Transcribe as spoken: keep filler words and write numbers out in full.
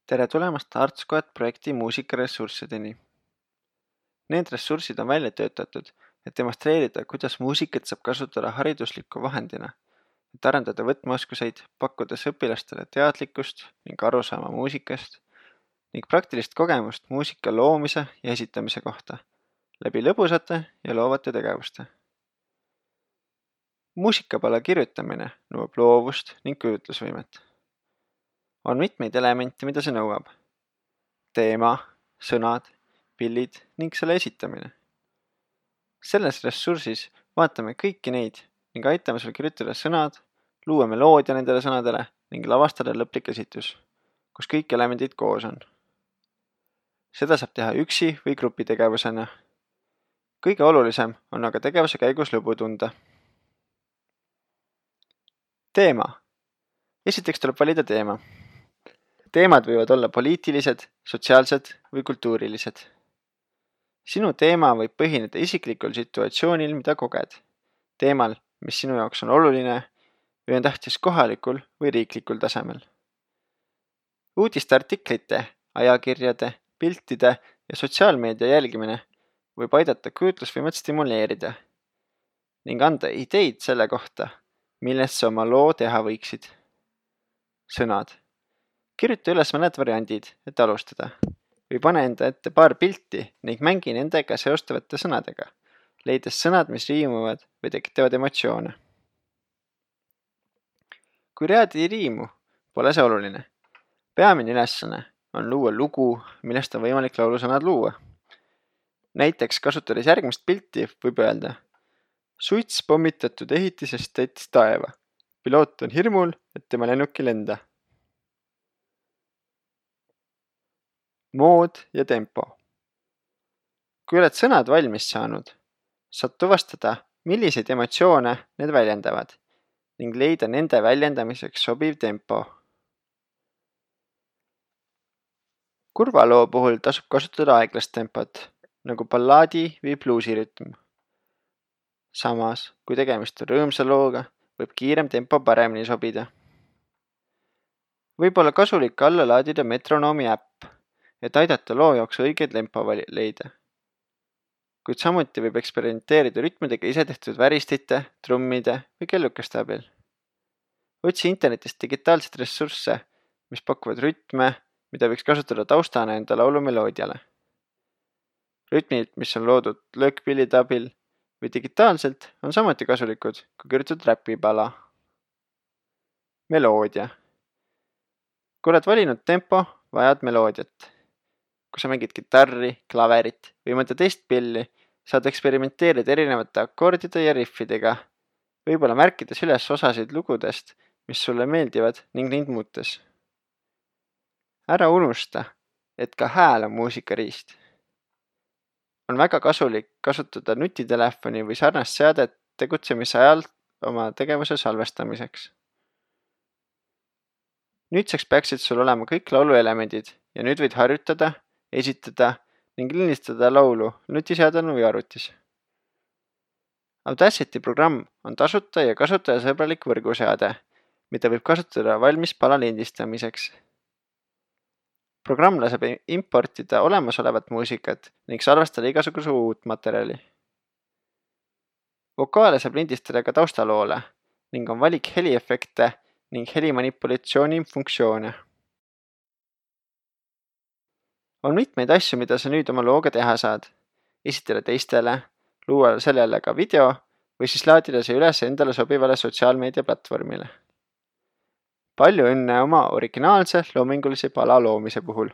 Tere tulemast Artskoet projekti muusikaressurssideni. Need ressursid on välja töötatud, et demonstreerida, kuidas muusikat saab kasutada haridusliku vahendina, et arendada võtmeoskuseid, pakkudes õpilastele teadlikkust ning arusaama muusikast ning praktilist kogemust muusika loomise ja esitamise kohta, läbi lõbusate ja loovate tegevuste. Muusikapala kirjutamine nõuab loovust ning kujutlusvõimet. On mitmeid elemente, mida see nõuab. Teema, sõnad, pillid ning selle esitamine. Selles ressursis vaatame kõiki neid ning aitame sul kirjutada sõnad, luua meloodia nendele sõnadele ning lavastada lõplik esitus, kus kõik elemendid koos on. Seda saab teha üksi või grupitegevusena. Kõige olulisem on aga tegevuse käigus lõbu tunda. Teema. Esiteks tuleb valida teema. Teemad võivad olla poliitilised, sotsiaalsed või kultuurilised. Sinu teema võib põhineda isiklikul situatsioonil, mida koged. Teemal, mis sinu jaoks on oluline või on tähtis kohalikul või riiklikul tasemel. Uudiste artiklite, ajakirjade, piltide ja sotsiaalmeedia jälgimine võib aidata kujutlusvõimet stimuleerida ning anda ideid selle kohta, millest sa oma loo teha võiksid. Sõnad. Kirjuta üles mõned variandid, et alustada, või pane enda ette paar pilti ning mängi nendega seostavate sõnadega, leides sõnad, mis riimuvad või tekitavad emotsioone. Kui read ei riimu, pole see oluline. Peamine ülesanne on luua lugu, millest on võimalik laulusõnad luua. Näiteks kasutades järgmist pilti võib öelda: suits pommitatud ehitisest täitis taeva. Piloot on hirmul, et tema lennuk ei lenda. Mood ja tempo. Kui oled sõnad valmis saanud, saad tuvastada, milliseid emotsioone need väljendavad ning leida nende väljendamiseks sobiv tempo. Kurva loo puhul tasub kasutada aeglast tempot, nagu ballaadi või bluusirütm. Samas, kui tegemist on rõõmsa looga, võib kiirem tempo paremini sobida. Võib olla kasulik alla laadida metronoomi äpp, et aidata loo jaoks õige tempo leida. Kuid samuti võib eksperimenteerida rütmidega ise tehtud väristite, trummide või kellukeste abil. Otsi internetist digitaalseid ressursse, mis pakuvad rütme, mida võiks kasutada taustana enda laulu meloodiale. Rütmid, mis on loodud löökpillide abil või digitaalselt, on samuti kasulikud, kui kirjutatud räpipala. Meloodia. Kui oled valinud tempo, vajad meloodiat. Kui sa mängid kitarri, klaverit või mõnda teist pilli, saad eksperimenteerida erinevate akordide ja riffidega, võib-olla märkides üles osasid lugudest, mis sulle meeldivad ning neid muutes. Ära unusta, et ka hääl on muusikariist. On väga kasulik kasutada nutitelefoni või sarnast seadet tegutsemise ajal oma tegevuse salvestamiseks. Nüüdseks peaksid sul olema kõik lauluelemendid ja nüüd võid harjutada, esitada ning lindistada laulu nutiseadel või arvutis. Audacity programm on tasuta ja kasutajasõbralik võrguseade, mida võib kasutada valmis pala lindistamiseks. Programm laseb importida olemasolevat muusikat ning salvestada igasuguse uut materjali. Vokaale saab lindistada ka taustaloole ning on valik heliefekte ning helimanipulatsiooni funktsioone. On mitmeid asju, mida sa nüüd oma looga teha saad. Esitada teistele, luua sellele ka video või siis laadida see üles endale sobivale sotsiaalmeedia platvormile. Palju õnne oma originaalse loomingulise pala loomise puhul!